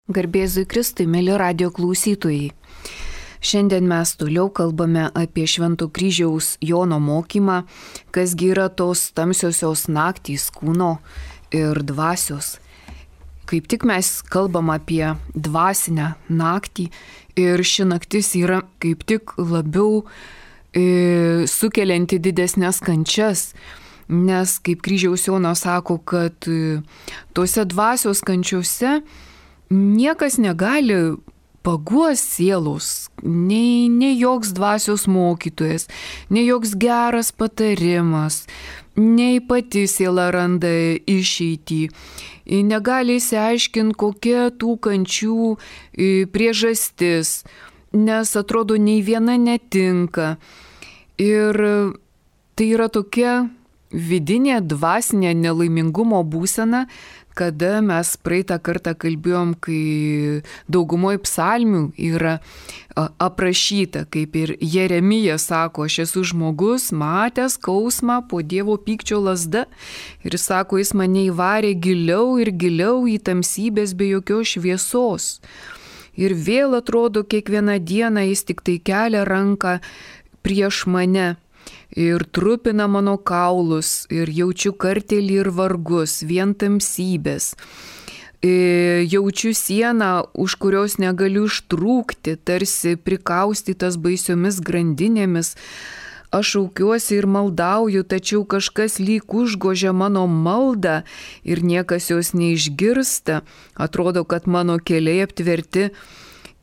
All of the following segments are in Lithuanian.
Garbėzui Kristui, mėly radio klausytojai. Šiandien mes toliau kalbame apie Švento Kryžiaus Jono mokymą, kasgi yra tos tamsiosios naktys kūno ir dvasios. Kaip tik mes kalbam apie dvasinę naktį ir ši naktis yra kaip tik labiau sukelianti didesnės kančias, nes kaip Kryžiaus Jonas sako, kad tose dvasios kančiose niekas negali paguos sielos, nei joks dvasios mokytojas, nei joks geras patarimas, nei pati siela randa išeitį. Negali išsiaiškinti, kokia tų kančių priežastis, nes atrodo nei viena netinka. Ir tai yra tokia vidinė dvasinė nelaimingumo būsena, kada mes praeitą kartą kalbėjom, kai daugumoje psalmių yra aprašyta, kaip ir Jeremija sako, aš esu žmogus, matęs skausmą po Dievo pykčio lazda. Ir sako, jis mane įvarė giliau ir giliau į tamsybės be jokios šviesos. Ir vėl atrodo, kiekvieną dieną jis tik tai kelia ranką prieš mane. Ir trupina mano kaulus, ir jaučiu kartėlį ir vargus, vien tamsybės. Jaučiu sieną, už kurios negaliu ištrūkti, tarsi prikaustytas baisiomis grandinėmis. Aš šaukiuosi ir maldauju, tačiau kažkas lyg užgožia mano maldą ir niekas jos neišgirsta. Atrodo, kad mano keliai aptverti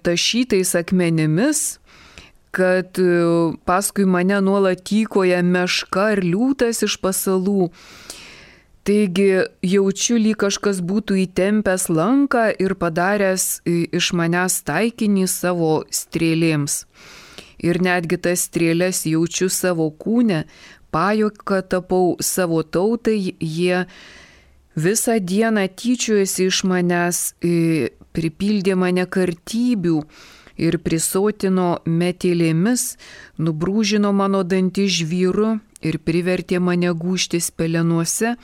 tašytais akmenimis, kad paskui mane nuolat tykoja meška ir liūtas iš pasalų. Taigi jaučiu, lyg kažkas būtų įtempęs lanką ir padaręs iš manęs taikinį savo strėlėms. Ir netgi tas strėlės jaučiu savo kūne, pajuoka tapau savo tautai, jie visą dieną tyčiojasi iš manęs, pripildė mane kartybių ir prisotino metelėmis, nubrūžino mano dantį žvyru ir privertė mane gūžtis pelenuose.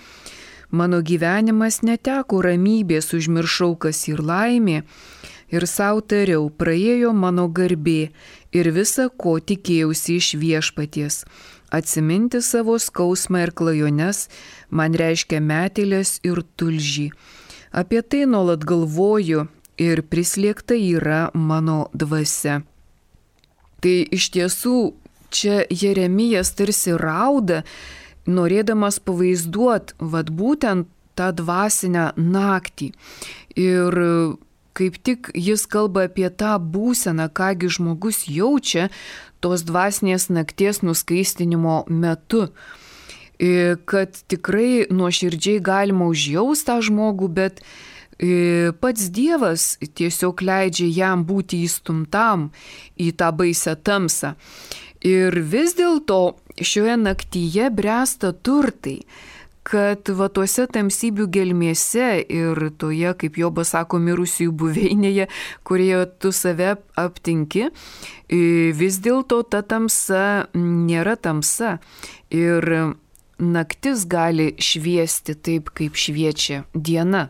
Mano gyvenimas neteko ramybės, užmiršau, kas ir laimė, ir savo tariau, praėjo mano garbė ir visa, ko tikėjausi iš viešpaties. Atsiminti savo skausmą ir klajones man reiškia metelės ir tulžį. Apie tai nuolat galvoju, ir prislėgta yra mano dvasia. Tai iš tiesų čia Jeremijas tarsi rauda, norėdamas pavaizduoti būtent tą dvasinę naktį. Ir kaip tik jis kalba apie tą būseną, kągi žmogus jaučia tos dvasinės nakties nuskaistinimo metu. Kad tikrai nuoširdžiai galima užjausti tą žmogų, bet pats Dievas tiesiog leidžia jam būti įstumtam į tą baisę tamsą. Ir vis dėlto šioje naktyje bręsta turtai, kad tuose tamsybių gelmėse ir toje, kaip Jobas sako, mirusiųjų buveinėje, kurioje tu save aptinki, vis dėlto ta tamsa nėra tamsa. Ir naktis gali šviesti taip, kaip šviečia diena.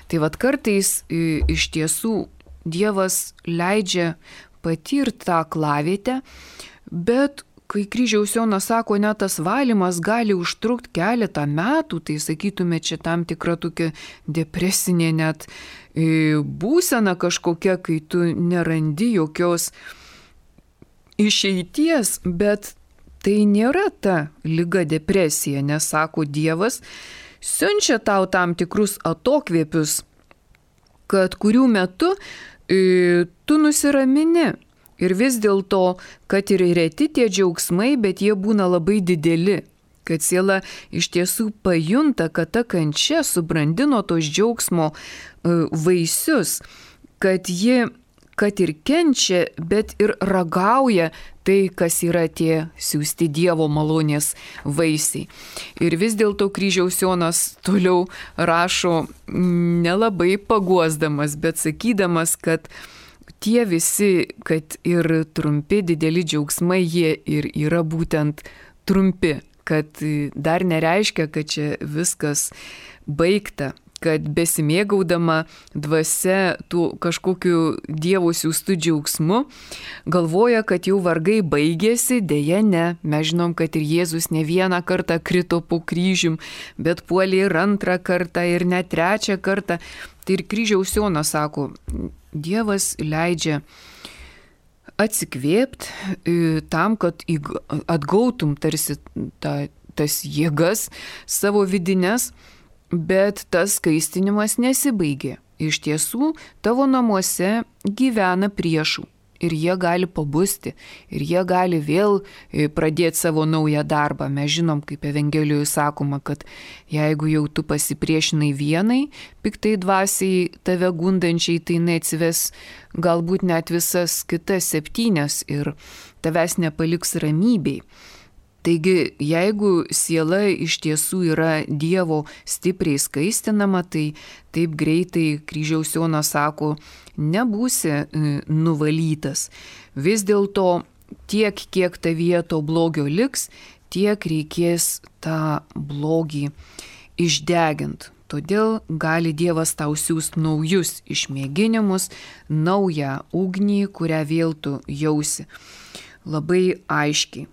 Tai kartais iš tiesų Dievas leidžia patirti tą aklavietę, bet kai Kryžiaus Jonas sako, net tas valymas gali užtrukti keletą metų, tai sakytume, čia tam tikra tokia depresinė net būsena kažkokia, kai tu nerandi jokios išeities, bet tai nėra ta liga depresija, nes, sako Dievas, siunčia tau tam tikrus atokvėpius, kad kurių metu tu nusiramini. Ir vis dėlto, kad ir reti tie džiaugsmai, bet jie būna labai dideli. Kad siela iš tiesų pajunta, kad ta kančia subrandino tos džiaugsmo vaisius, kad ji kad ir kenčia, bet ir ragauja tai, kas yra tie siųsti Dievo malonės vaisiai. Ir vis dėlto Kryžiaus Jonas toliau rašo nelabai paguosdamas, bet sakydamas, kad tie visi, kad ir trumpi dideli džiaugsmai, jie ir yra būtent trumpi, kad dar nereiškia, kad čia viskas baigta, kad besimėgaudama dvasia tų kažkokiu Dievo siųstų džiaugsmu, galvoja, kad jau vargai baigėsi, dėja ne. Mes žinom, kad ir Jėzus ne vieną kartą krito po kryžium, bet puolė ir antrą kartą, ir net trečią kartą. Tai ir kryžiaus Jonas sako, Dievas leidžia atsikvėpti tam, kad atgautum tarsi tas jėgas savo vidinės, bet tas skaistinimas nesibaigė. Iš tiesų, tavo namuose gyvena priešų ir jie gali pabusti, ir jie gali vėl pradėti savo naują darbą. Mes žinom, kaip Evangelijoje sakoma, kad jeigu jau tu pasipriešinai vienai, piktai dvasiai tave gundančiai, tai neatsives galbūt net visas kitas 7 ir tavęs nepaliks ramybei. Taigi, jeigu siela iš tiesų yra Dievo stipriai skaistinama, tai taip greitai kryžiaus Jonas sako, nebūsi nuvalytas. Vis dėlto tiek, kiek tavyje to blogio liks, tiek reikės tą blogį išdeginti. Todėl gali Dievas tau siųsti naujus išmėginimus, naują ugnį, kurią vėl tu jausi. Labai aiškiai.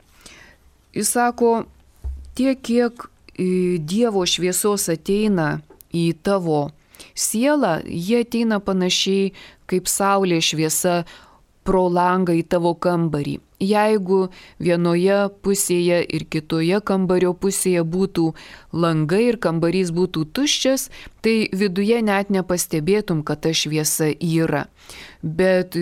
Jis sako, tiek, kiek Dievo šviesos ateina į tavo sielą, jie ateina panašiai kaip saulė šviesa pro langą į tavo kambarį. Jeigu vienoje pusėje ir kitoje kambario pusėje būtų langai ir kambarys būtų tuščias, tai viduje net nepastebėtum, kad ta šviesa yra. Bet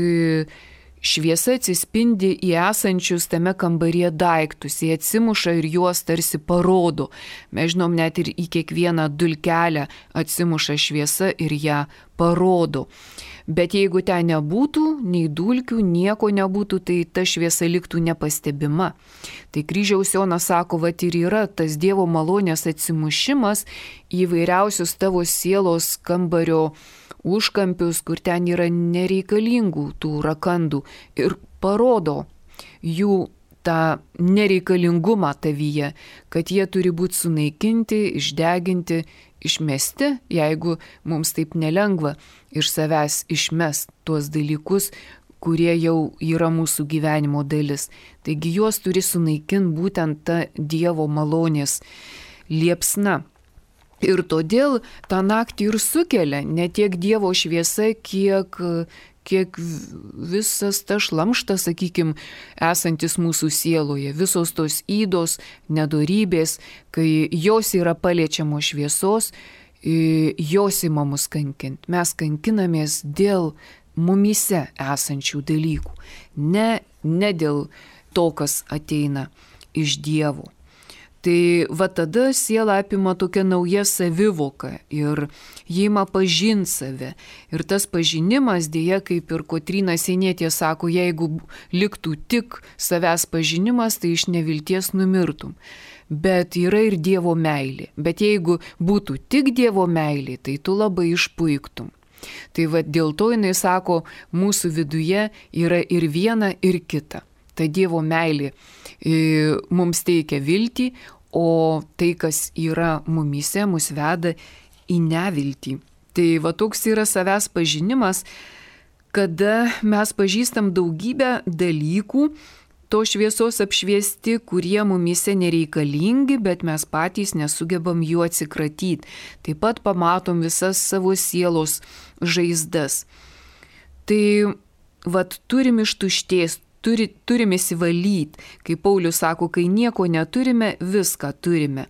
šviesa atsispindi į esančius tame kambaryje daiktus, jie atsimuša ir juos tarsi parodo. Mes žinom, net ir į kiekvieną dulkelę atsimuša šviesa ir ją parodo. Bet jeigu ten nebūtų, nei dulkių, nieko nebūtų, tai ta šviesa liktų nepastebima. Tai kryžiaus Jonas sako, vat ir yra tas Dievo malonės atsimušimas į vairiausius tavo sielos kambario užkampius, kur ten yra nereikalingų tų rakandų ir parodo jų tą nereikalingumą tavyje, kad jie turi būti sunaikinti, išdeginti, išmesti, jeigu mums taip nelengva iš savęs išmest tuos dalykus, kurie jau yra mūsų gyvenimo dalis. Taigi juos turi sunaikinti būtent ta Dievo malonės liepsna. Ir todėl tą naktį ir sukelia ne tiek Dievo šviesa, kiek visas ta šlamštas, sakykime, esantis mūsų sieloje, visos tos ydos, nedorybės, kai jos yra paliečiamos šviesos, jos ima mus kankinti. Mes kankinamės dėl mumyse esančių dalykų, ne dėl to, kas ateina iš Dievo. Tai va tada siela apima tokia nauja savivoka ir jį ima pažinti save. Ir tas pažinimas, dėja, kaip ir Kotryna Sienietė sako, jeigu liktų tik savęs pažinimas, tai iš nevilties numirtum. Bet yra ir Dievo meilė. Bet jeigu būtų tik Dievo meilė, tai tu labai išpuiktum. Tai va dėl to jinai sako, mūsų viduje yra ir viena, ir kita. Ta Dievo meilė mums teikia viltį, o tai, kas yra mumyse, mus veda į neviltį. Tai va toks yra savęs pažinimas, kada mes pažįstam daugybę dalykų, to šviesos apšviesti, kurie mumyse nereikalingi, bet mes patys nesugebam jų atsikratyti. Taip pat pamatom visas savo sielos žaizdas. Tai vat turim ištuštės, turim įsivalyti, kaip Paulius sako, kai nieko neturime, viską turime.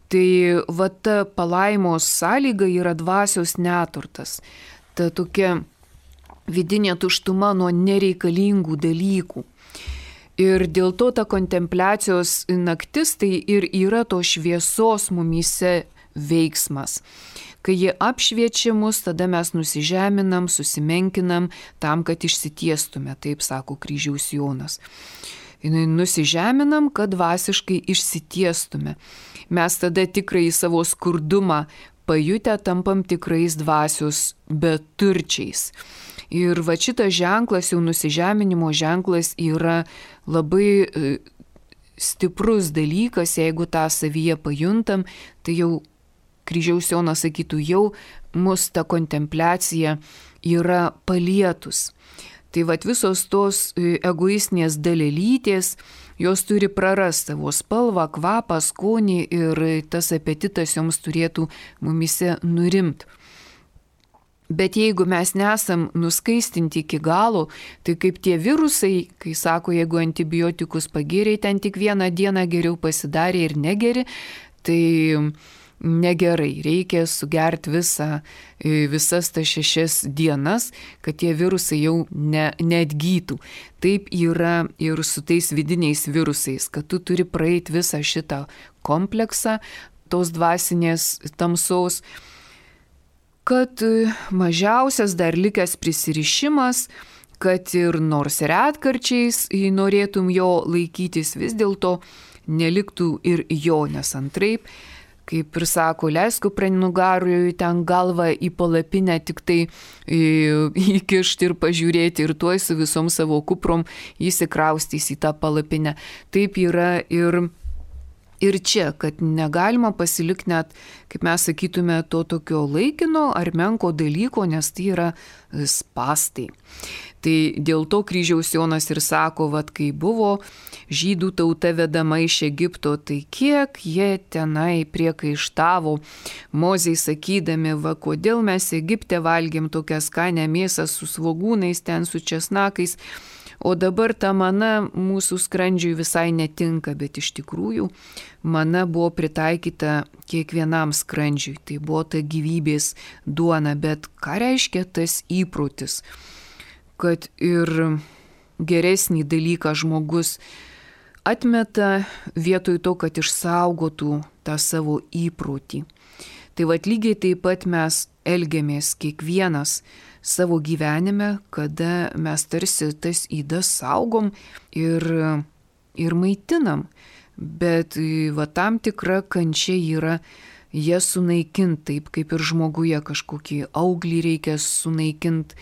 Tai va ta palaimos sąlyga yra dvasios neturtas. Ta tokia vidinė tuštuma nuo nereikalingų dalykų. Ir dėl to ta kontempliacijos naktis tai ir yra to šviesos mumyse veiksmas. Kai jie apšviečia mus, tada mes nusižeminam, susimenkinam tam, kad išsitiestume, taip sako kryžiaus Jonas. Nusižeminam, kad dvasiškai išsitiestume. Mes tada tikrai savo skurdumą pajutę tampam tikrais dvasios beturčiais. Ir va šitas ženklas, jau nusižeminimo ženklas, yra labai stiprus dalykas, jeigu tą savyje pajuntam, tai jau kryžiaus Jonas sakytų, jau mus ta kontempliacija yra palietus. Tai vat visos tos egoistinės dalelytės, jos turi prarasti savo spalvą, kvapą, skonį ir tas apetitas joms turėtų mumise nurimti. Bet jeigu mes nesam nuskaistinti iki galo, tai kaip tie virusai, kai sako, jeigu antibiotikus pagėrė, ten tik vieną dieną geriau pasidarė ir negeri, tai negerai. Reikia sugerti visas tas 6 dienas, kad tie virusai jau neatgytų. Taip yra ir su tais vidiniais virusais, kad tu turi praeiti visą šitą kompleksą tos dvasinės tamsos, kad mažiausias dar likęs prisirišimas, kad ir nors retkarčiais norėtum jo laikytis, vis dėlto neliktų ir jo, nes antraip, kaip ir sako, leisk kupranugarui ten galvą į palapinę tik tai įkišti ir pažiūrėti ir tuoj su visom savo kuprom įsikraustys į tą palapinę. Taip yra ir čia, kad negalima pasilikti net, kaip mes sakytume, to tokio laikino ar menko dalyko, nes tai yra spastai. Tai dėl to kryžiaus Jonas ir sako, vat kai buvo žydų tauta vedama iš Egipto, tai kiek jie tenai priekaištavo Mozei sakydami, va kodėl mes Egipte valgėm tokią skanę mėsą su svogūnais, ten su česnakais, o dabar ta mana mūsų skrandžiui visai netinka, bet iš tikrųjų mana buvo pritaikyta kiekvienam skrandžiui. Tai buvo ta gyvybės duona, bet ką reiškia tas įprotis? Kad ir geresnį dalyką žmogus atmeta vietoj to, kad išsaugotų tą savo įprotį. Tai vat lygiai taip pat mes elgiamės kiekvienas savo gyvenime, kada mes tarsi tas ydas saugom ir maitinam, bet va tam tikra kančia yra jas sunaikinti, taip kaip ir žmoguje kažkokį auglį reikia sunaikinti,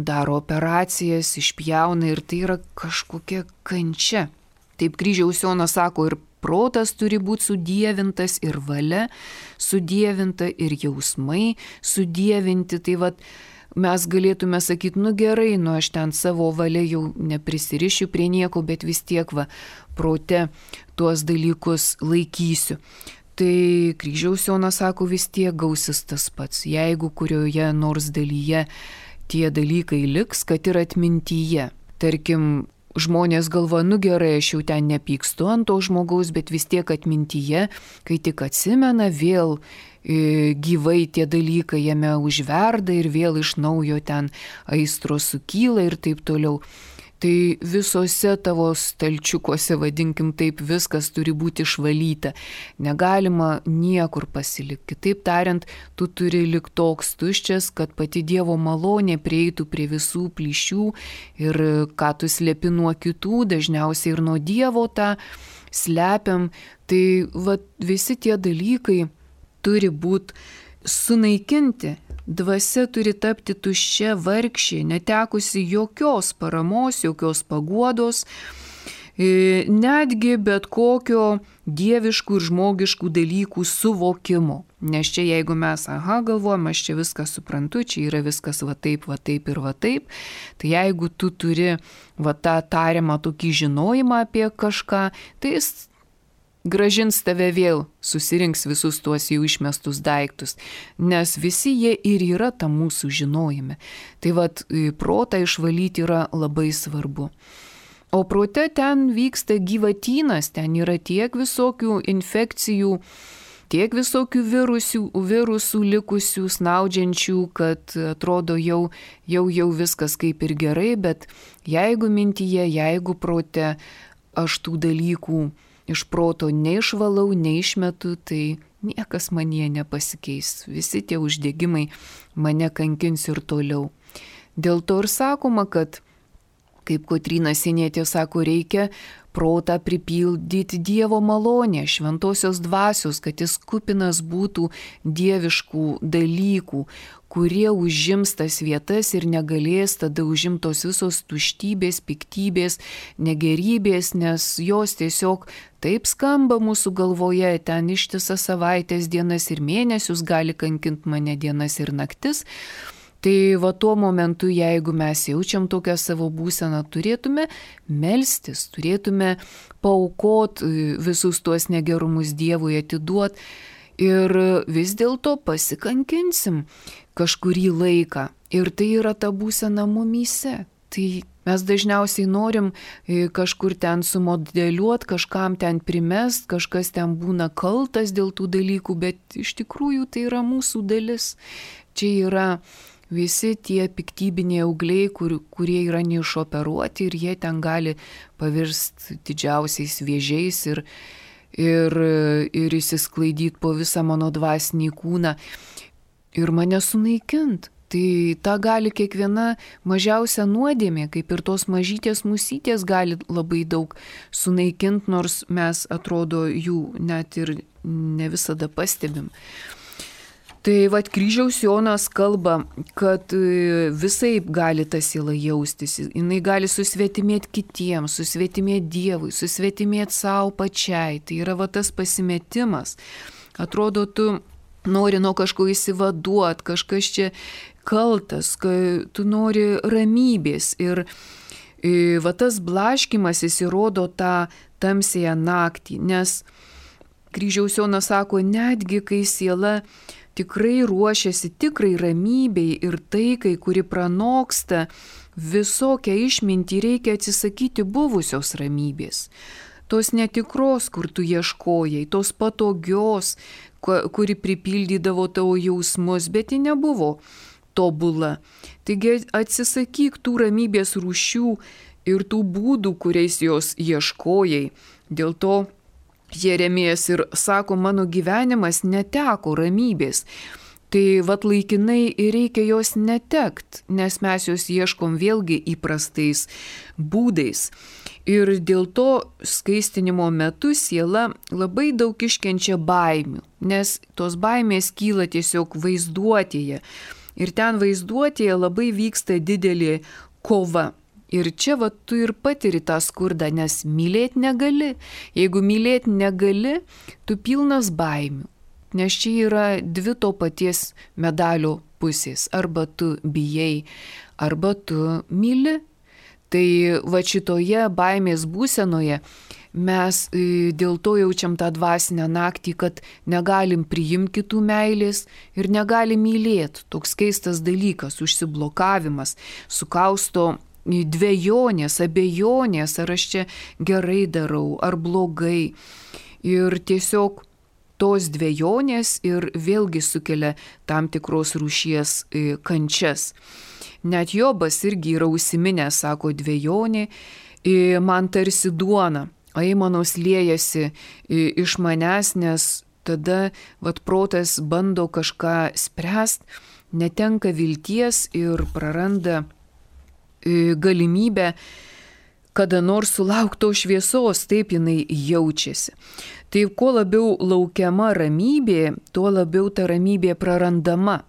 daro operacijas, išpjauna ir tai yra kažkokia kančia. Taip kryžiaus Jonas sako, ir protas turi būti sudievintas, ir valia sudievinta, ir jausmai sudievinti. Tai vat mes galėtume sakyti, nu gerai, nu aš ten savo valia jau neprisirišiu prie nieko, bet vis tiek prote tuos dalykus laikysiu. Tai kryžiaus Jonas sako, vis tiek gausis tas pats, jeigu kurioje nors dalyje tie dalykai liks, kad ir atmintyje. Tarkim, žmonės galvoja, nu gerai, aš jau ten nepykstu ant to žmogaus, bet vis tiek atmintyje, kai tik atsimena, vėl gyvai tie dalykai jame užverda ir vėl iš naujo ten aistros sukyla ir taip toliau. Tai visose tavo stalčiukuose, vadinkim taip, viskas turi būti išvalyta. Negalima niekur pasilikti. Kitaip tariant, tu turi likti toks tuščias, kad pati Dievo malonė prieitų prie visų plyšių ir ką tu slepi nuo kitų, dažniausiai ir nuo Dievo tą slepiam. Tai visi tie dalykai turi būti sunaikinti. Dvasia turi tapti tuščia, vargšė, netekusi jokios paramos, jokios paguodos, netgi bet kokio dieviškų ir žmogiškų dalykų suvokimo. Nes čia jeigu mes, galvojam, aš čia viską suprantu, čia yra viskas va taip ir va taip, tai jeigu tu turi tą tariamą tokį žinojimą apie kažką, tai jis gražins tave vėl, susirinks visus tuos jau išmestus daiktus, nes visi jie ir yra tam mūsų žinojime. Tai protą išvalyti yra labai svarbu. O prote ten vyksta gyvatynas, ten yra tiek visokių infekcijų, tiek visokių virusų likusių, snaudžiančių, kad atrodo jau viskas kaip ir gerai, bet jeigu mintyje, jeigu prote aš tų dalykų iš proto neišvalau, neišmetu, tai niekas manyje nepasikeis. Visi tie uždegimai mane kankins ir toliau. Dėl to ir sakoma, kad, kaip Kotryna Sienietė sako, reikia protą pripildyti Dievo malonę, šventosios dvasios, kad jis kupinas būtų dieviškų dalykų, kurie užims tas vietas ir negalės tada užimtos visos tuštybės, piktybės, negerybės, nes jos tiesiog taip skamba mūsų galvoje, ten ištisas savaitės, dienas ir mėnesius gali kankinti mane dienas ir naktis. Tai va tuo momentu, jeigu mes jaučiam tokią savo būseną, turėtume melstis, turėtume paaukot visus tuos negerumus Dievui, atiduot ir vis dėlto pasikankinsim kažkurį laiką. Ir tai yra ta būsena mumyse. Tai mes dažniausiai norim kažkur ten sumodeliuot, kažkam ten primest, kažkas ten būna kaltas dėl tų dalykų, bet iš tikrųjų tai yra mūsų dalis. Čia yra visi tie piktybiniai augliai, kurie yra neišoperuoti ir jie ten gali pavirsti didžiausiais vėžiais ir įsisklaidyti po visą mano dvasinį kūną ir mane sunaikint. Tai tą gali kiekviena mažiausia nuodėmė, kaip ir tos mažytės musytės gali labai daug sunaikinti, nors mes atrodo jų net ir ne visada pastebim. Tai vat kryžiaus Jonas kalba, kad visaip gali ta siela jaustis, jinai gali susvetimėti kitiems, susvetimėti Dievui, susvetimėti savo pačiai. Tai yra va tas pasimetimas. Atrodo, tu nori nuo kažko įsivaduoti, kažkas čia kaltas, tu nori ramybės. Ir va tas blaškimas įrodo tą tamsėją naktį, nes kryžiaus Jonas sako, netgi kai siela tikrai ruošiasi tikrai ramybei ir taikai, kuri pranoksta visokią išmintį, reikia atsisakyti buvusios ramybės. Tos netikros, kur tu ieškojai, tos patogios, kuri pripildydavo tavo jausmus, bet ji nebuvo tobula. Taigi atsisakyk tų ramybės rūšių ir tų būdų, kuriais jos ieškojai. Dėl to Jeremijas ir sako, mano gyvenimas neteko ramybės. Tai vat laikinai ir reikia jos netekt, nes mes jos ieškom vėlgi įprastais būdais. Ir dėl to skaistinimo metu siela labai daug iškenčia baimių, nes tos baimės kyla tiesiog vaizduotėje. Ir ten vaizduotėje labai vyksta didelė kova. Ir čia va tu ir patiri tą skurdą, nes mylėti negali. Jeigu mylėti negali, tu pilnas baimių. Nes čia yra dvi to paties medalio pusės. Arba tu bijai, arba tu myli. Tai va šitoje baimės būsenoje mes dėl to jaučiam tą dvasinę naktį, kad negalim priimti kitų meilės ir negalim mylėti. Toks keistas dalykas, užsiblokavimas, sukausto dvejonės, abejonės, ar aš čia gerai darau, ar blogai. Ir tiesiog tos dvejonės ir vėlgi sukelia tam tikros rūšies kančias. Net Jobas irgi yra užsiminęs, sako, dvejonė man tarsi duona, aimanos liejasi iš manęs, nes tada vat protas bando kažką spręst, netenka vilties ir praranda galimybę kada nors sulaukto šviesos, taip jinai jaučiasi. Tai kuo labiau laukiama ramybė, tuo labiau ta ramybė prarandama.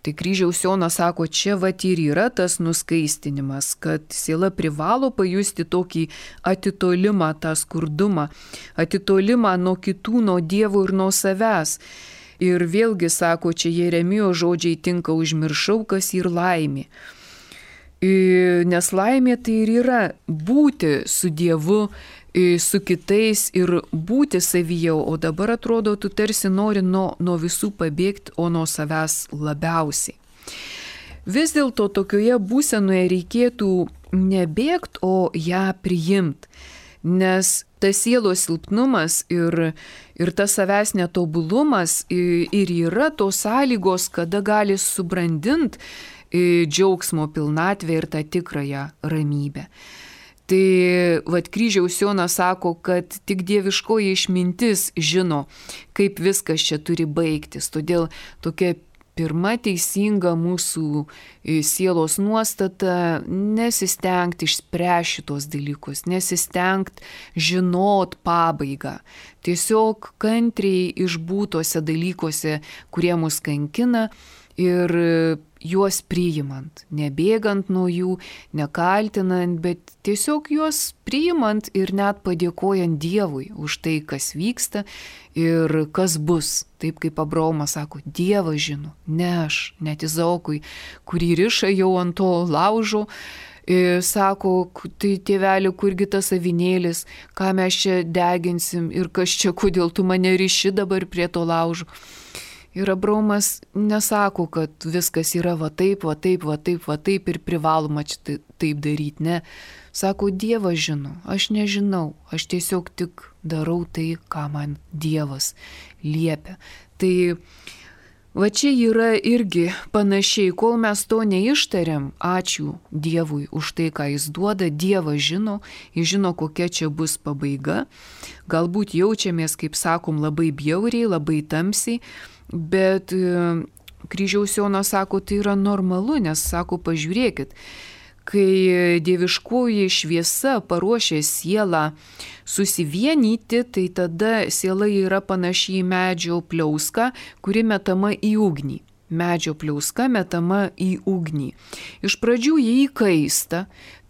Tai kryžiaus Jonas sako, čia vat ir yra tas nuskaistinimas, kad siela privalo pajusti tokį atitolimą, tą skurdumą, atitolimą nuo kitų, nuo Dievo ir nuo savęs. Ir vėlgi sako, čia Jeremijo žodžiai tinka, užmiršau, kas ir laimė. Nes laimė tai ir yra būti su Dievu, su kitais ir būti savyje, o dabar atrodo, tu tarsi nori nuo visų pabėgti, o nuo savęs labiausiai. Vis dėlto tokioje būsenoje reikėtų nebėgti, o ją priimti, nes tas sielos silpnumas ir tas savęs netobulumas ir yra tos sąlygos, kada gali subrandinti džiaugsmo pilnatvę ir tą tikrąją ramybę. Tai vat kryžiaus Jonas sako, kad tik dieviškoji išmintis žino, kaip viskas čia turi baigtis. Todėl tokia pirma teisinga mūsų sielos nuostata nesistengti išspręsti šitos dalykus, nesistengti žinot pabaigą. Tiesiog kantriai išbūtose dalykuose, kurie mus kankina ir juos priimant, nebėgant nuo jų, nekaltinant, bet tiesiog juos priimant ir net padėkojant Dievui už tai, kas vyksta ir kas bus. Taip kaip Abraomas sako, Dievas žino, ne aš, net Izaokui, kurį riša jau ant to laužo, sako, tai tėveli, kurgi tas avinėlis, ką mes čia deginsim ir kas čia, kodėl tu mane riši dabar prie to laužo. Ir Abraomas nesako, kad viskas yra va taip ir privaloma čia taip daryti, ne. Sako, Dievas žino, aš nežinau, aš tiesiog tik darau tai, ką man Dievas liepia. Tai va čia yra irgi panašiai, kol mes to neištariam, ačiū Dievui už tai, ką jis duoda, Dievas žino, jis žino, kokia čia bus pabaiga. Galbūt jaučiamės, kaip sakom, labai bjauriai, labai tamsiai, bet Kryžiaus Jonas sako, tai yra normalu, nes sako, pažiūrėkit, kai dieviškoji šviesa paruošia sielą susivienyti, tai tada siela yra panaši į medžio pliauską, kuri metama į ugnį. Medžio pliauska metama į ugnį. Iš pradžių jį įkaista,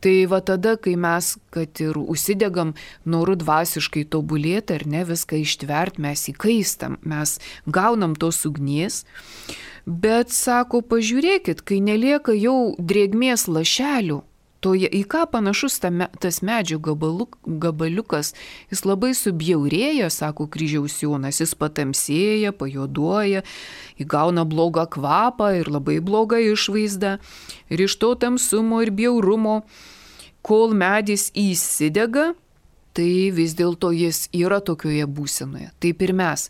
tai va tada, kai mes, kad ir užsidegam noru dvasiškai tobulėti ar ne, viską ištvert, mes įkaistam, mes gaunam tos ugnies, bet sako, pažiūrėkit, kai nelieka jau drėgmės lašelių, to į ką panašus tas medžio gabaliukas, jis labai subjaurėja, sako Kryžiaus Jonas, jis patamsėja, pajuoduoja, įgauna blogą kvapą ir labai blogą išvaizdą. Ir iš to tamsumo ir bjaurumo, kol medis įsidega, tai vis dėlto jis yra tokioje būsenoje. Taip ir mes.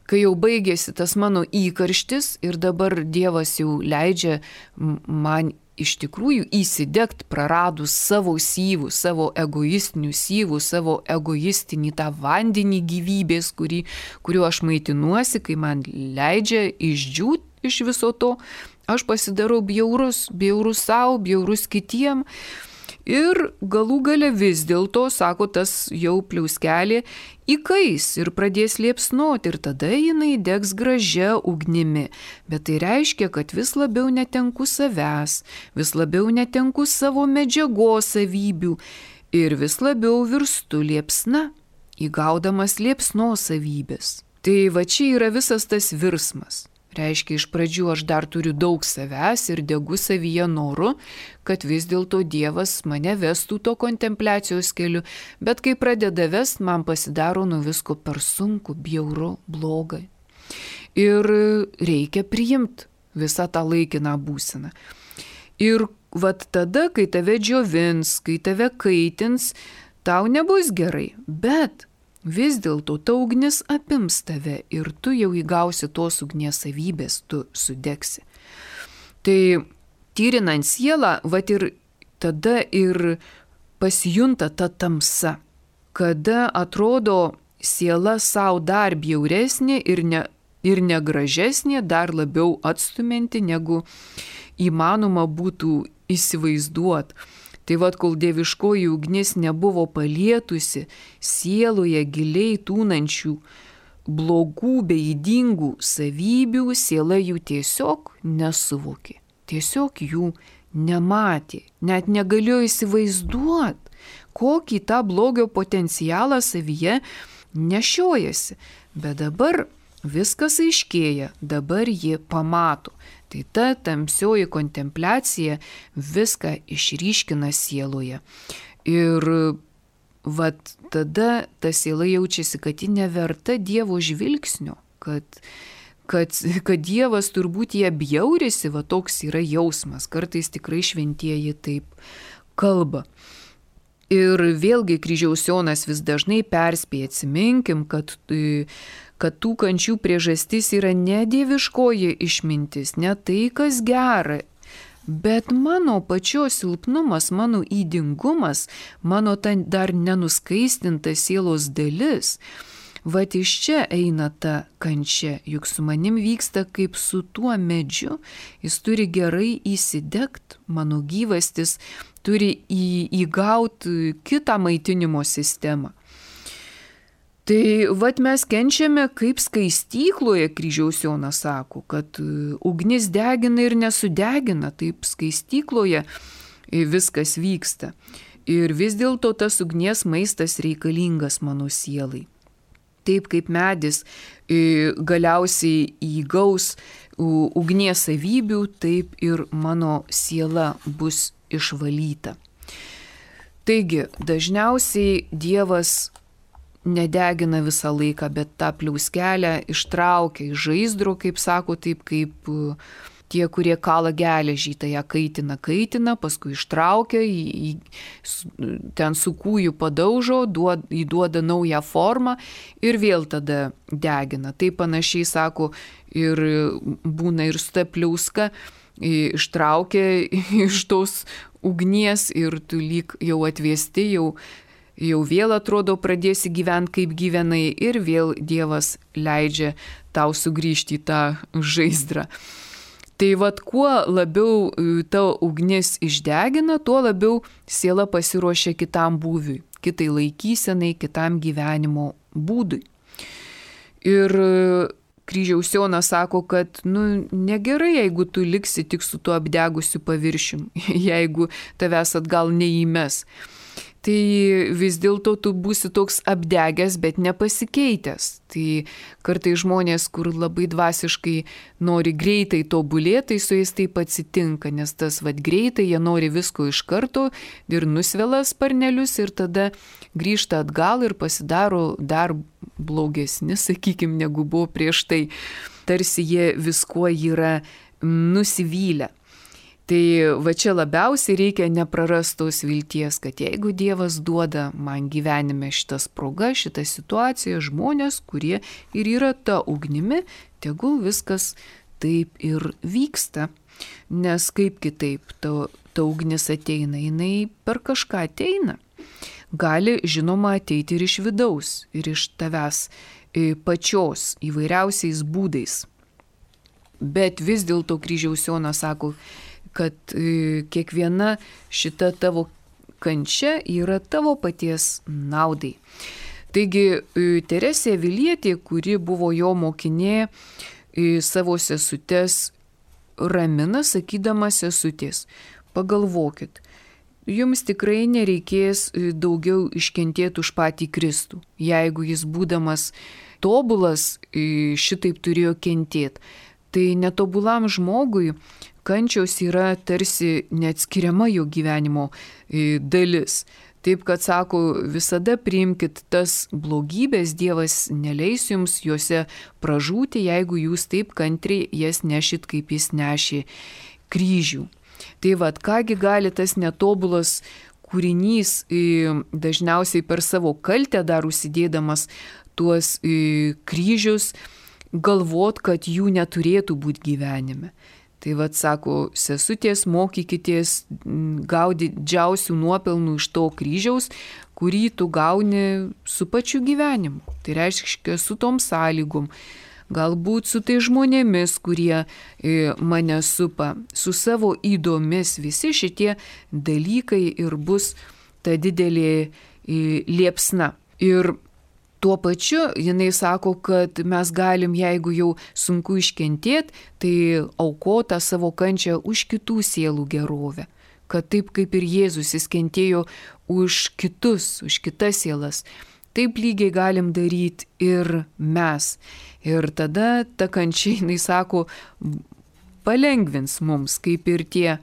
Kai jau baigėsi tas mano įkarštis ir dabar Dievas jau leidžia man iš tikrųjų įsidegt praradus savo syvų, savo egoistinių syvų, savo egoistinį tą vandenį gyvybės, kuriuo aš maitinuosi, kai man leidžia išdžiūt iš viso to, aš pasidarau bjaurus savo, bjaurus kitiem. Ir galų gale vis dėlto, sako, tas jau pliauskelė įkais ir pradės liepsnoti ir tada jinai degs gražia ugnimi. Bet tai reiškia, kad vis labiau netenku savęs, vis labiau netenku savo medžiagos savybių ir vis labiau virstu liepsna, įgaudamas liepsnos savybės. Tai va čia yra visas tas virsmas. Reiškia, iš pradžių aš dar turiu daug savęs ir degu savyje noru, kad vis dėlto Dievas mane vestų to kontempliacijos keliu, bet kai pradeda vest, man pasidaro nuo visko per sunku, bjauru, blogai. Ir reikia priimti visą tą laikiną būseną. Ir vat tada, kai tave džiovins, kai tave kaitins, tau nebus gerai, bet vis dėlto ta ugnis apims tave ir tu jau įgausi tos ugnies savybės, tu sudegsi. Tai tyrinant sielą, vat ir tada ir pasijunta ta tamsa, kada atrodo siela savo dar bjauresnė ir negražesnė, dar labiau atstumianti, negu įmanoma būtų įsivaizduoti. Tai vad, kol dieviškoji ugnis nebuvo palietusi sieloje giliai tūnančių blogų bei ydingų savybių, siela jų tiesiog nesuvokė, tiesiog jų nematė, net negalėjo įsivaizduoti, kokį tą blogio potencialą savyje nešiojasi. Bet dabar viskas aiškėja, dabar ji pamato. Tai ta tamsioji kontempliacija viską išryškina sieloje. Ir vat tada ta siela jaučiasi, kad ji neverta Dievo žvilgsnio, kad Dievas turbūt ją bjaurisi, va toks yra jausmas. Kartais tikrai šventieji taip kalba. Ir vėlgi Kryžiaus Jonas vis dažnai perspėja, atsiminkim, kad tų kančių priežastis yra ne dieviškoji išmintis, ne tai, kas gera, bet mano pačios silpnumas, mano ydingumas, mano ta dar nenuskaistinta sielos dalis. Vat iš čia eina ta kančia, juk su manim vyksta kaip su tuo medžiu, jis turi gerai įsidegt, mano gyvastis turi įgauti kitą maitinimo sistemą. Tai vat mes kenčiame kaip skaistykloje, Kryžiaus Jonas sako, kad ugnis degina ir nesudegina, taip skaistykloje viskas vyksta. Ir vis dėlto tas ugnies maistas reikalingas mano sielai. Taip kaip medis galiausiai įgaus ugnies savybių, taip ir mano siela bus išvalyta. Taigi, dažniausiai Dievas nedegina visą laiką, bet tą pliauskelę ištraukia iš žaizdro, kaip sako, taip kaip tie, kurie kala geležį, tai ją kaitina, paskui ištraukia, ten su kūju padaužo, įduoda naują formą ir vėl tada degina. Tai panašiai sako ir būna ir su ta pliauska, ištraukia iš tos ugnies ir tu lyg jau atvesti, jau vėl atrodo pradėsi gyventi kaip gyvenai ir vėl Dievas leidžia tau sugrįžti į tą žaizdrą. Tai vat kuo labiau ta ugnis išdegina, tuo labiau siela pasiruošia kitam būviui, kitai laikysenai, kitam gyvenimo būdui. Ir Kryžiaus Jonas sako, kad negerai, jeigu tu liksi tik su tuo apdegusiu paviršium, jeigu tavęs atgal neįmes. Tai vis dėlto tu būsi toks apdegęs, bet nepasikeitęs. Tai kartai žmonės, kur labai dvasiškai nori greitai tobulėti, tai su jais taip atsitinka, nes tas greitai, jie nori visko iš karto ir nusvela sparnelius ir tada grįžta atgal ir pasidaro dar blogesni, sakykime, negu buvo prieš tai. Tarsi jie viskuo yra nusivylę. Tai va čia labiausiai reikia neprarastos vilties, kad jeigu Dievas duoda man gyvenime šitas proga, šitą situaciją, žmonės, kurie ir yra ta ugnimi, tegul viskas taip ir vyksta. Nes kaip kitaip ta ugnis ateina, jinai per kažką ateina. Gali, žinoma, ateiti ir iš vidaus, ir iš tavęs pačios įvairiausiais būdais. Bet vis dėlto Kryžiaus Jonas sako, kad kiekviena šita tavo kančia yra tavo paties naudai. Taigi Teresė Avilietė, kuri buvo jo mokinė, savo sesutes ramina, sakydama: sesutės, pagalvokit, jums tikrai nereikės daugiau iškentėti už patį Kristų. Jeigu jis būdamas tobulas šitaip turėjo kentėti, tai netobulam žmogui kančios yra tarsi neatskiriama jo gyvenimo dalis. Taip, kad sako, visada priimkit tas blogybės, Dievas neleis jums juose pražūti, jeigu jūs taip kantriai jas nešit, kaip jis nešė kryžių. Tai vad, kągi gali tas netobulas kūrinys, dažniausiai per savo kaltę dar užsidėdamas tuos kryžius, galvot, kad jų neturėtų būti gyvenime. Tai vad, sako, sesutės, mokykitės gauti didžiausių nuopelnų iš to kryžiaus, kurį tu gauni su pačiu gyvenimu. Tai reiškia, su tom sąlygom, galbūt su tai žmonėmis, kurie mane supa, su savo įdomis. Visi šitie dalykai ir bus ta didelė liepsna. Ir tuo pačiu jinai sako, kad mes galim, jeigu jau sunku iškentėti, tai aukotą savo kančią už kitų sielų gerovę. Kad taip kaip ir Jėzus jis kentėjo už kitus, už kitas sielas, taip lygiai galim daryti ir mes. Ir tada ta kančia, jinai sako, palengvins mums, kaip ir tie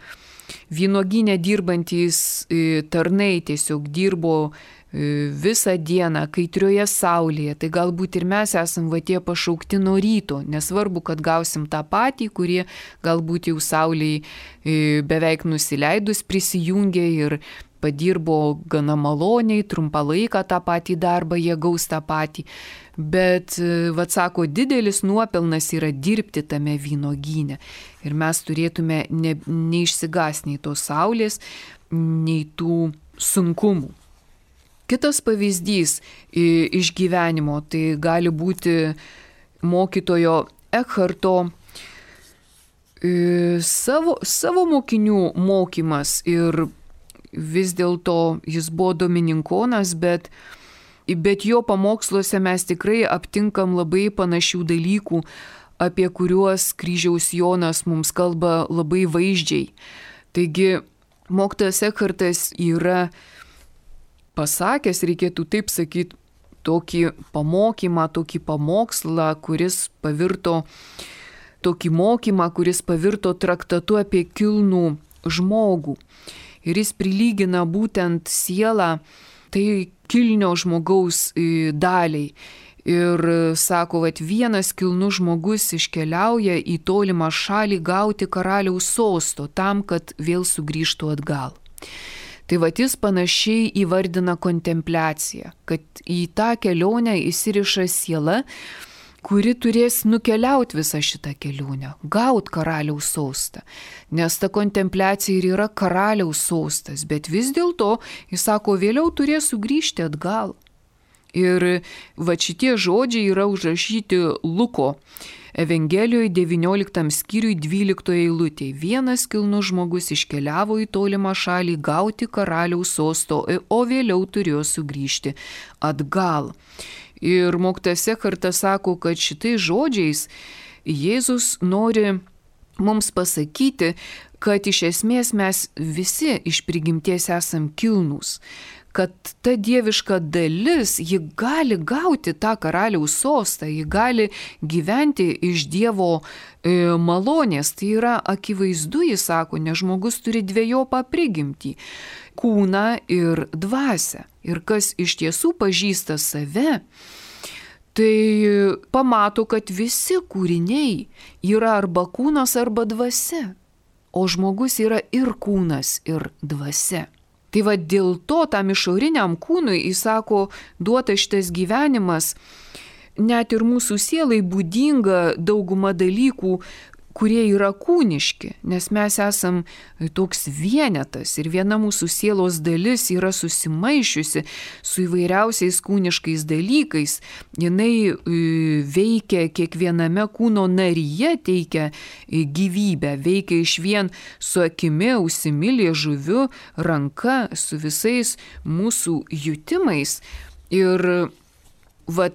vynuogyne dirbantys tarnai tiesiog dirbo visą dieną kaitrioje saulėje, tai galbūt ir mes esam va tie pašaukti nuo ryto, nesvarbu, kad gausim tą patį, kurie galbūt jau saulėje beveik nusileidus prisijungė ir padirbo gana maloniai, trumpą laiką tą patį darbą, jie gaus tą patį. Bet, vat sako, didelis nuopelnas yra dirbti tame vynuogyne. Ir mes turėtume neišsigąsti nei tos saulės, nei tų sunkumų. Kitas pavyzdys iš gyvenimo tai gali būti mokytojo Ekharto savo mokinių mokymas. Ir vis dėlto jis buvo domininkonas, bet jo pamoksluose mes tikrai aptinkam labai panašių dalykų, apie kuriuos kryžiaus Jonas mums kalba labai vaizdžiai. Taigi mokytojas Ekhartas yra pasakęs, reikėtų taip sakyti, tokį pamokymą, tokį pamokslą, kuris pavirto traktatu apie kilnų žmogų. Ir jis prilygina būtent sielą tai kilnio žmogaus daliai. Ir sako, kad vienas kilnus žmogus iškeliauja į tolimą šalį gauti karaliaus sosto tam, kad vėl sugrįžtų atgal. Tai jis panašiai įvardina kontempliaciją, kad į tą kelionę įsiriša siela, kuri turės nukeliauti visą šitą kelionę, gauti karaliaus sostą. Nes ta kontempliacija ir yra karaliaus sostas, bet vis dėlto, jis sako, vėliau turės sugrįžti atgal. Ir šitie žodžiai yra užrašyti Luko Evangelijoje 19 skyriui 12 eilutėje. Vienas kilnus žmogus iškeliavo į tolimą šalį gauti karaliaus sosto, o vėliau turėjo sugrįžti atgal. Ir mokytojas Ekhartas sako, kad šitais žodžiais Jėzus nori mums pasakyti, kad iš esmės mes visi iš prigimties esam kilnūs, kad ta dieviška dalis, ji gali gauti tą karaliaus sostą, ji gali gyventi iš Dievo malonės. Tai yra akivaizdu, jis sako, nes žmogus turi dvejopą prigimtį – kūną ir dvasią. Ir kas iš tiesų pažįsta save, tai pamato, kad visi kūriniai yra arba kūnas, arba dvasia. O žmogus yra ir kūnas, ir dvasia. Tai dėl to tam išoriniam kūnui, jis sako, duota šitas gyvenimas, net ir mūsų sielai būdinga dauguma dalykų, kurie yra kūniški, nes mes esam toks vienetas ir viena mūsų sielos dalis yra susimaišiusi su įvairiausiais kūniškais dalykais. Jinai veikia kiekviename kūno naryje, teikia gyvybę, veikia išvien su akimi, ausimi, liežuviu, ranka, su visais mūsų jutimais. Ir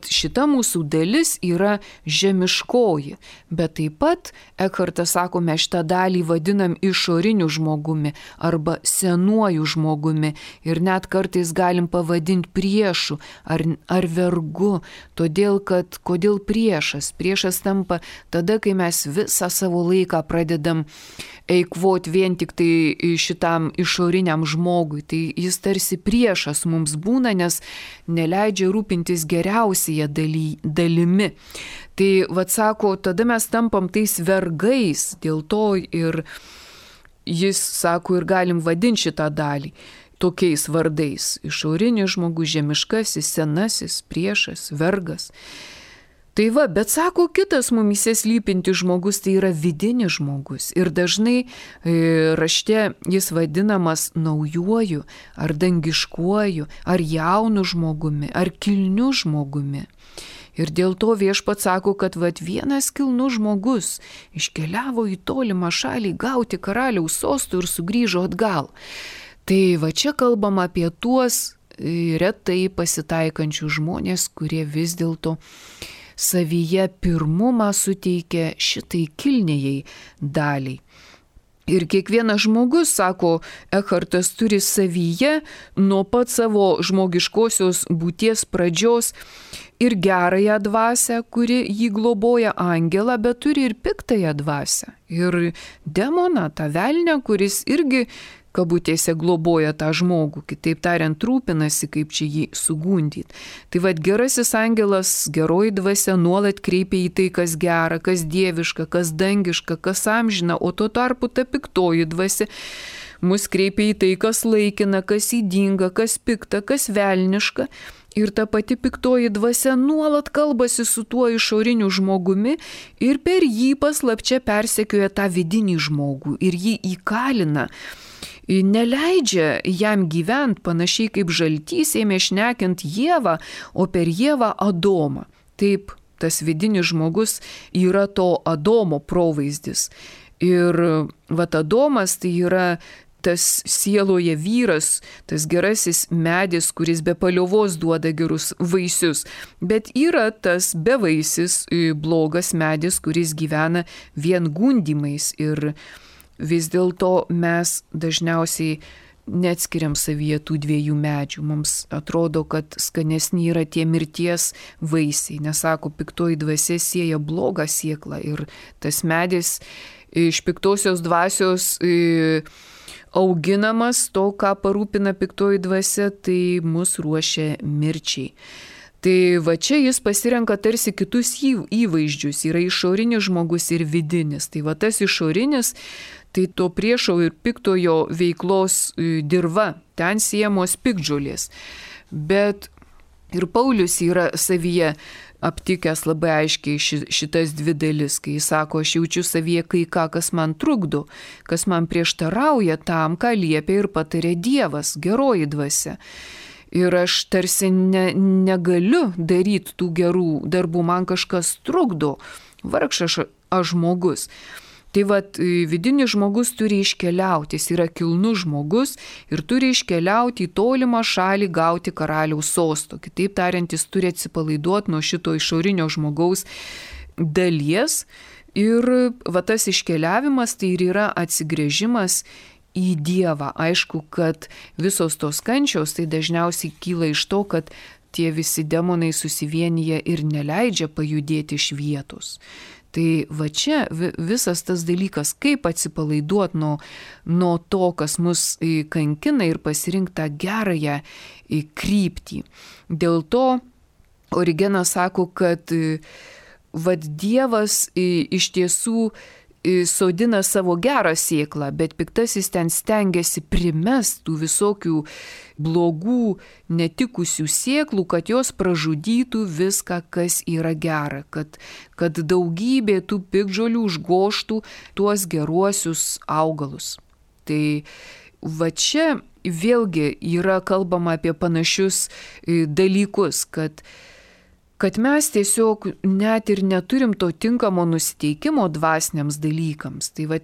šita mūsų dalis yra žemiškoji, bet taip pat Ekhartas sako, mes šitą dalį vadinam išoriniu žmogumi arba senuoju žmogumi ir net kartais galim pavadinti priešu ar vergu, kodėl priešas? Priešas tampa tada, kai mes visą savo laiką pradedam eikvoti vien tik tai šitam išoriniam žmogui. Tai jis tarsi priešas mums būna, nes neleidžia rūpintis geriausiai dalimi. Tai sako, tada mes tampam tais vergais, dėl to ir jis sako, ir galim vadinti šitą dalį tokiais vardais. Išorinis žmogus, žemiškasis, senasis, priešas, vergas. Tai bet sako, kitas mumyse slypintis žmogus tai yra vidinis žmogus. Ir dažnai rašte jis vadinamas naujuoju, ar dangiškuoju, ar jaunu žmogumi, ar kilniu žmogumi. Ir dėl to Viešpats sako, kad vienas kilnus žmogus iškeliavo į tolimą šalį gauti karaliaus sostų ir sugrįžo atgal. Tai čia kalbam apie tuos retai pasitaikančius žmonės, kurie vis dėlto savyje pirmumą suteikia šitai kilniai daliai. Ir kiekvienas žmogus, sako Ekhartas, turi savyje nuo pat savo žmogiškosios būties pradžios ir gerąją dvasią, kuri jį globoja, angelą, bet turi ir piktąją dvasią. Ir demoną, tą velnią, kuris irgi kabutėse globoja tą žmogų, kitaip tariant, rūpinasi, kaip čia jį sugundyti. Tai gerasis angelas, geroji dvasia nuolat kreipia į tai, kas gera, kas dieviška, kas dangiška, kas amžina, o tuo tarpu ta piktoji dvasia mus kreipia į tai, kas laikina, kas ydinga, kas pikta, kas velniška. Ir ta pati piktoji dvasia nuolat kalbasi su tuo išoriniu žmogumi ir per jį paslapčia persekioja tą vidinį žmogų ir jį įkalina. neleidžia jam gyventi panašiai kaip žaltys ėmė šnekint Ievą, o per Ievą Adomą. Taip, tas vidinis žmogus yra to Adomo provaizdis. Ir Adomas tai yra tas sieloje vyras, tas gerasis medis, kuris be paliovos duoda gerus vaisius, bet yra tas bevaisis blogas medis, kuris gyvena vien gundymais. Ir vis dėlto mes dažniausiai neatskiriam savyje tų dviejų medžių. Mums atrodo, kad skanesni yra tie mirties vaisiai. Nesako, piktoji dvasia sėja blogą sėklą ir tas medis iš piktosios dvasios auginamas, to, ką parūpina piktoji dvasia, tai mus ruošia mirčiai. Tai čia jis pasirenka tarsi kitus įvaizdžius. Yra išorinis žmogus ir vidinis. Tai tas išorinis, tai to priešo ir piktojo veiklos dirva, ten siejamos piktžolės. Bet ir Paulius yra savyje aptikęs labai aiškiai šitas dvi dalis, kai jis sako, aš jaučiu savyje kai ką, kas man trukdo, kas man prieštarauja tam, ką liepia ir patarė Dievas, geroji dvasia. Ir aš tarsi negaliu daryti tų gerų darbų, man kažkas trukdo, vargšas aš žmogus. Tai vidinis žmogus turi iškeliauti, jis yra kilnus žmogus ir turi iškeliauti į tolimą šalį gauti karaliaus sosto. Kitaip tariant, jis turi atsipalaiduoti nuo šito išorinio žmogaus dalies ir tas iškeliavimas tai ir yra atsigręžimas į Dievą. Aišku, kad visos tos kančios tai dažniausiai kyla iš to, kad tie visi demonai susivienyje ir neleidžia pajudėti iš vietos. Tai čia visas tas dalykas, kaip atsipalaiduoti nuo to, kas mus kankina ir pasirinkti tą gerąją kryptį. Dėl to Origenas sako, kad Dievas iš tiesų sodina savo gerą sėklą, bet piktasis ten stengiasi primest tų visokių blogų, netikusių sėklų, kad jos pražudytų viską, kas yra gera, kad daugybė tų piktžolių užgoštų tuos geruosius augalus. Tai čia vėlgi yra kalbama apie panašius dalykus, kad mes tiesiog net ir neturim to tinkamo nusiteikimo dvasiniams dalykams. Tai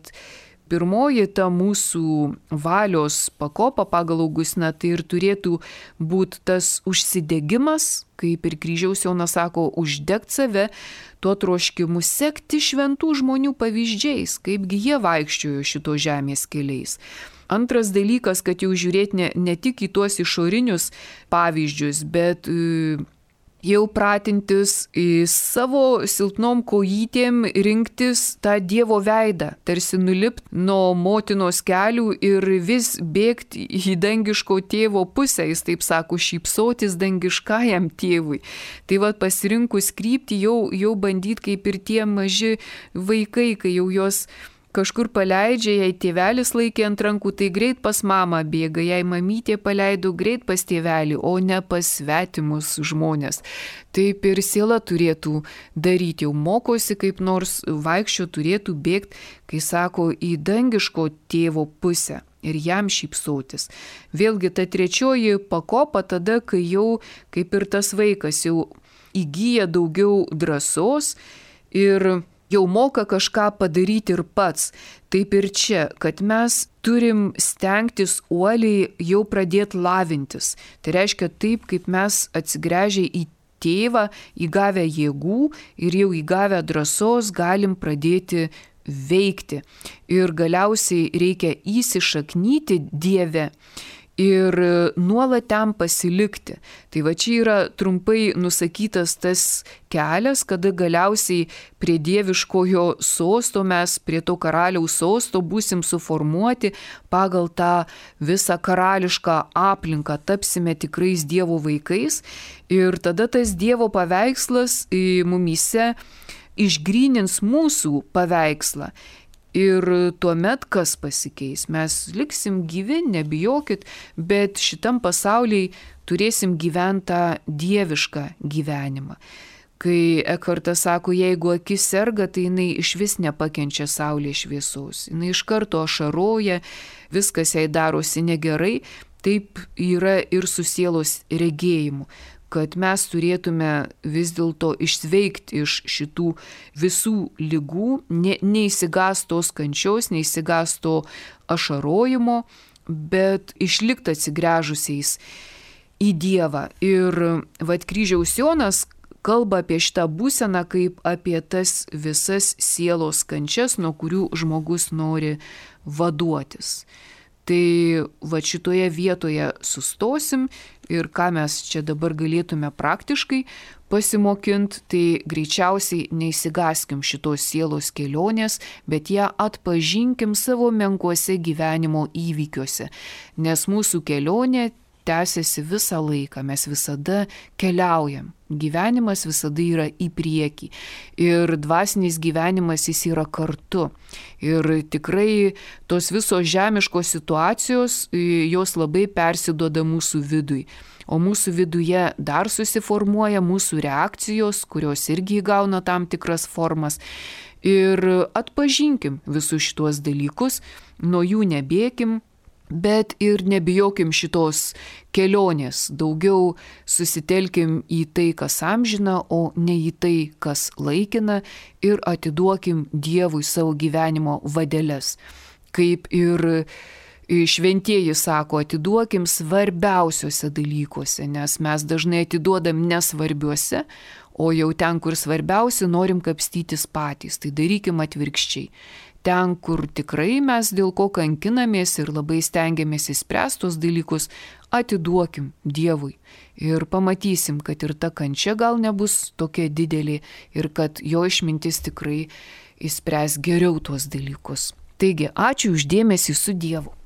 pirmoji ta mūsų valios pakopa pagal Augustiną tai ir turėtų būti tas užsidegimas, kaip ir Kryžiaus Jonas sako, uždegt save, tuo troškimu sekti šventų žmonių pavyzdžiais, kaipgi jie vaikščiojo šito žemės keliais. Antras dalykas, kad jau žiūrėti ne tik į tuos išorinius pavyzdžius, bet jau pratintis į savo silpnom kojytėm rinktis tą Dievo veidą, tarsi nulipti nuo motinos kelių ir vis bėgti į dangiško tėvo pusę, jis taip sako, šypsotis dangiškajam tėvui. Tai pasirinkus kryptį jau bandyti kaip ir tie maži vaikai, kai jau jos kažkur paleidžia, jei tėvelis laikė ant rankų, tai greit pas mamą bėga, jei mamytė paleido, greit pas tėvelį, o ne pas svetimus žmonės. Taip ir siela turėtų daryti, jau mokosi kaip nors vaikščio, turėtų bėgti, kai sako, į dangiško tėvo pusę ir jam šypsotis. Vėlgi ta trečioji pakopa tada, kai jau kaip ir tas vaikas jau įgyja daugiau drąsos ir jau moka kažką padaryti ir pats. Taip ir čia, kad mes turim stengtis uoliai jau pradėti lavintis. Tai reiškia taip, kaip mes atsigręžę į tėvą, įgavę jėgų ir jau įgavę drąsos galim pradėti veikti. Ir galiausiai reikia įsišaknyti Dieve ir nuolat ten pasilikti. Tai čia yra trumpai nusakytas tas kelias, kada galiausiai prie dieviškojo sosto mes, prie to karaliaus sosto būsim suformuoti pagal tą visą karališką aplinką, tapsime tikrais Dievo vaikais ir tada tas Dievo paveikslas mumyse išgrynins mūsų paveikslą. Ir tuomet kas pasikeis? Mes liksim gyvi, nebijokit, bet šitam pasauliai turėsim gyventą dievišką gyvenimą. Kai Ekhartas sako, jeigu akis serga, tai jinai iš vis nepakenčia saulės šviesos. Jinai iš karto ašaroja, viskas jai darosi negerai. Taip yra ir su sielos regėjimu, kad mes turėtume vis dėlto išsveikti iš šitų visų ligų, neįsigastos kančios, neįsigasto ašarojimo, bet išlikti atsigręžusiais į Dievą. Ir kryžiaus Jonas kalba apie šitą būseną kaip apie tas visas sielos kančias, nuo kurių žmogus nori vaduotis. Tai šitoje vietoje sustosim ir ką mes čia dabar galėtume praktiškai pasimokinti, tai greičiausiai neįsigaskim šitos sielos kelionės, bet ją atpažinkim savo menkuose gyvenimo įvykiuose, nes mūsų kelionė tęsiasi visą laiką, mes visada keliaujam. Gyvenimas visada yra į priekį ir dvasinis gyvenimas jis yra kartu. Ir tikrai tos visos žemiškos situacijos, jos labai persiduoda mūsų vidui. O mūsų viduje dar susiformuoja mūsų reakcijos, kurios irgi įgauna tam tikras formas. Ir atpažinkim visus šitos dalykus, nuo jų nebėkim, bet ir nebijokim šitos kelionės, daugiau susitelkim į tai, kas amžina, o ne į tai, kas laikina, ir atiduokim Dievui savo gyvenimo vadeles. Kaip ir šventieji sako, atiduokim svarbiausiuose dalykuose, nes mes dažnai atiduodam nesvarbiuose, o jau ten, kur svarbiausia, norim kapstytis patys, tai darykim atvirkščiai. Ten, kur tikrai mes dėl ko kankinamės ir labai stengiamės įspręsti tos dalykus, atiduokim Dievui. Ir pamatysim, kad ir ta kančia gal nebus tokia didelė ir kad jo išmintis tikrai įspręs geriau tuos dalykus. Taigi, ačiū už dėmesį, su Dievu.